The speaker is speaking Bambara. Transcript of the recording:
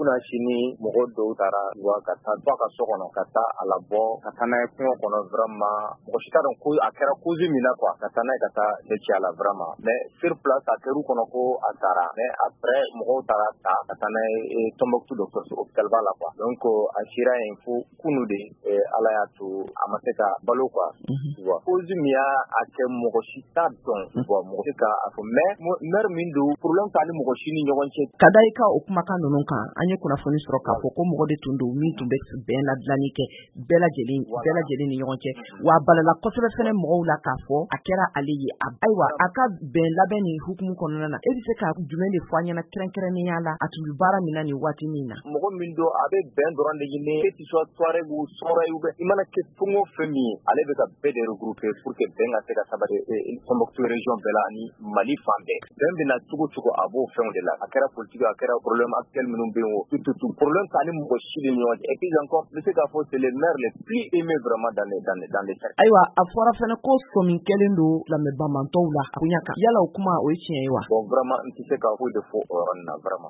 Kunasini, mɔgɔ dɔw taara wa ka taa ba ka so kɔnɔ, ka taa a labɔ, ka taa n'a ye kungo kɔnɔ. Vraiment, mɔgɔ si t'a dɔn ko a kɛra cause min na quoi, ka taa n'a ye, ka taa cɛ ci a la vraiment. Mais sur place, a kɛr'u kɔnɔ ko a sara, mais après mɔgɔw taara ta ka taa n'a ye Tombouctou dɔgɔtɔrɔso, hôpital ba la quoi. Donc a sera yen fo kunu de, Ala y'a to a ma se ka balo quoi, tu vois. Cause min y'a kɛ, mɔgɔ si t'a dɔn, tu vois, mɔgɔ tɛ ka a fɔ, mais maire min don, problème t'ani mɔgɔ si ni ɲɔgɔn cɛ. Ka da i ka o kumakan ninnu kan, an ye kunnafoni sɔrɔ k'a fɔ ko mɔgɔ de tun don min tun bɛ bɛn ladilanni kɛ bɛɛ lajɛlen ni ɲɔgɔn cɛ, wa a balala kosɛbɛ fɛnɛ mɔgɔw la k'a fɔ a kɛra ale ye. Ayiwa, a ka bɛn labɛn nin hukumu kɔnɔna na, e bɛ se ka jumɛn de fɔ an ɲɛna kɛrɛnkɛrɛnnenya la, a tun bɛ baara min na nin waati min na? Mɔgɔ min don, a bɛ bɛn dɔrɔn de ɲini, que tu sois Touareg ou Sonrhaï ou i mana kɛ fɛn o fɛn min ye, ale bɛ ka bɛɛ de regrouper pour que bɛn ka se ka sabati Tombouctou région bɛɛ la ani Mali fan bɛɛ. Bɛn bɛna cogo cogo, a b'o fɛnw de la. A kɛra politique, a kɛra problème actuel minnu bɛ yen o, tout tout tout, problème t'ani mɔgɔ si ni ɲɔgɔn cɛ. Et puis encore, n bɛ se k'a fɔ, c'est le maire le plus aimé vraiment dans les cercles. Ayiwa, a fɔra fɛnɛ ko sɔmi kɛlen don lamɛnbamantɔw la a koɲa kan. Yala o kuma, o ye tiɲɛ ye wa? Bon, vraiment, n tɛ se ka foyi de fɔ o yɔrɔnin na vraiment.